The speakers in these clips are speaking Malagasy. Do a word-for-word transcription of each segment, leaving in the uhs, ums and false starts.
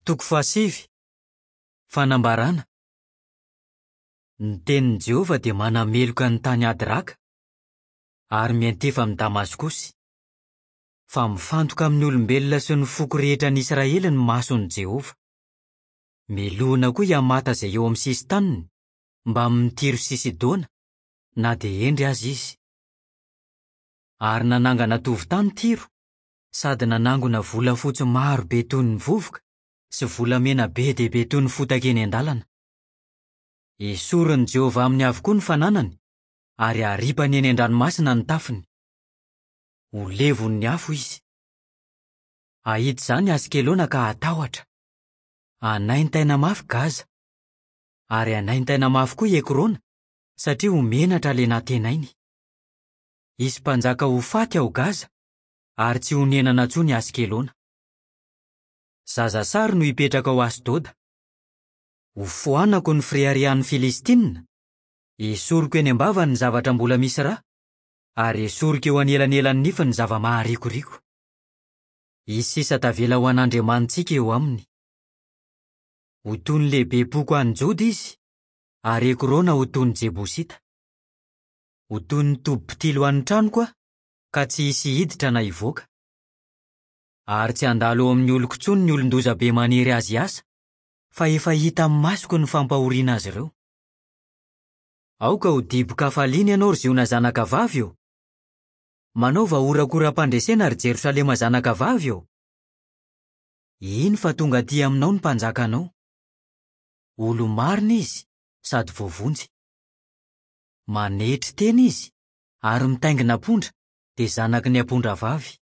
Toko fahasivy. Fanambarana. Ny tenin'i Jehovah dia manameloka ny tany Hadraka ary miantefa amin'i Damaskosy. Fa mifantoka amin'ny olombelona sy ny foko rehetra any Israely ny mason'i Jehovah. Melohina koa i Hamata izay eo amin'ny sisin-taniny, mbamin'ny Tyro sy Sidona, na dia hendry aza izy. Ary nanangana tovon-tany Tyro, sady nanangona volafotsy maro be toy ny vovoka sy volamena be dia be toy ny fotaka eny an-dalana. Esorin'i Jehovah aminy avokoa ny fananany, ary haripany eny an-dranomasina ny tafiny. Ho levon'ny afo izy. Hahita izany Askelona ka hatahotra. Hanaintaina mafy Gaza. Ary hanaintaina mafy koa i Ekrona, satria ho menatra ilay nantenainy. Hisy mpanjaka ho faty ao Gaza, ary tsy honenana intsony Askelona. Zazasary no hipetraka ao Asdoda. Hofoanako ny fireharehan'ny Filistinina, esoriko eny am-bavany ny zavatra mbola misy ra, ary esoriko eo anelanelan'ny nifiny ny zava-maharikoriko. Hisy sisa tavela ho an'Andriamanitsika eo aminy. Ho toy ny lehibem-poko any Joda izy, ary Ekrona ho toy ny Jebosita. Ho toy ny tobi-pitily ho an'ny tranoko aho, ka tsy hisy hiditra na hivoaka. Ary tsy handalo eo amin'ny oloko intsony ny olon-doza be manery azy hiasa, fa efa hita amin'ny masoko ny fampahoriana azy ireo. Aoka ho dibo-kafaliana ianao, ry Ziona zanakavavy ô! Manaova horakoram-pandresena, ry Jerosalema zanakavavy ô! Iny fa tonga aty aminao ny mpanjakanao. Olo-marina izy sady voavonjy. Manetry tena izy ary mitaingina ampondra, dia zanaky ny ampondravavy.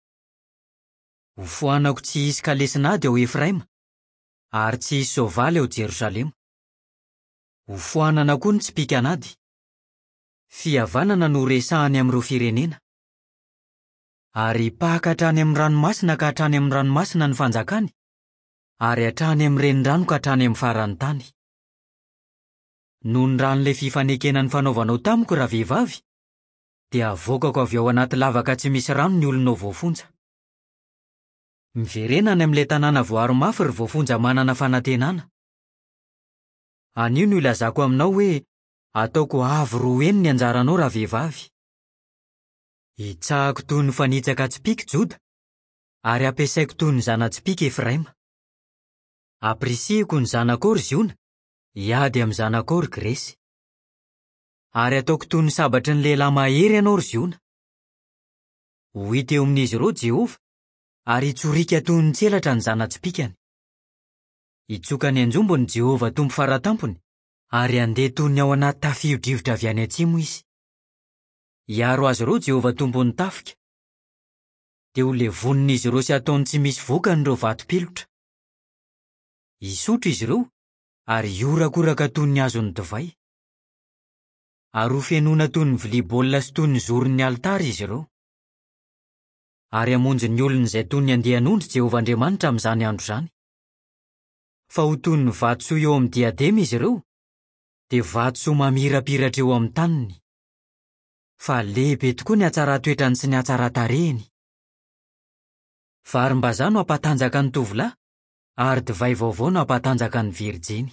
Hofoanako tsy hisy kalesin'ady ao Efraima, ary tsy hisy soavaly ao Jerosalema. Hofoanana koa ny tsipìkan'ady. Fihavanana no resahany amin'ireo firenena. Ary hipaka hatrany amin'ny ranomasina ka hatrany amin'ny ranomasina ny fanjakany, ary hatrany amin'ny renirano ka hatrany amin'ny faran'ny tany. Noho ny ran'ilay fifanekena nifanaovanao tamiko, ravehivavy, dia avoakako avy ao anaty lavaka tsy misy rano ny olonao voafonja. Miverena any amin'ilay tanàna voaro mafy ry voafonja manana fanantenana. Anio no ilazako aminao hoe ataoko avo roa heny ny anjaranao, ravehivavy. Hitsahako toy ny fanitsaka tsipìka Joda, ary ampiasaiko toy ny zana-tsipìka Efraima. Ampirisihiko ny zanakao, ry Ziona, hiady amin'ny zanakao, ry Gresy. Ary ataoko toy ny sabatry ny lehilahy mahery ianao, ry Ziona. Ho hita eo amin'izy ireo Jehovah, ary hitsoriaka toy ny tselatra ny zana-tsipìkany. Hitsoka ny anjombony Jehovah Tompo faratampony, ary handeha toy ny ao anaty tafio-drivotra avy any atsimo izy. Hiaro azy ireo Jehovah Tompon'ny tafika. Dia ho levonin'izy ireo sy ataony tsy misy vokany ireo vatom-pilotra. Hisotro izy ireo ary hihorakoraka toy ny hazon'ny divay. Ary ho fenoina toy ny vilia baolina sy toy ny zoron'ny alitara izy ireo. Ary hamonjy ny olony izay toy ny andian'ondry Jehovah Andriamanitra amin'izany andro izany. Fa ho toy ny vatosoa eo amin'ny diadema izy ireo, dia vatosoa mamirapiratra eo amin'ny taniny. Fa lehibe tokoa ny hatsaran-toetrany sy ny hatsaran-tarehiny. Varimbazaha no hampatanjaka ny tovolahy, ary divay vaovao no hampatanjaka ny virjiny.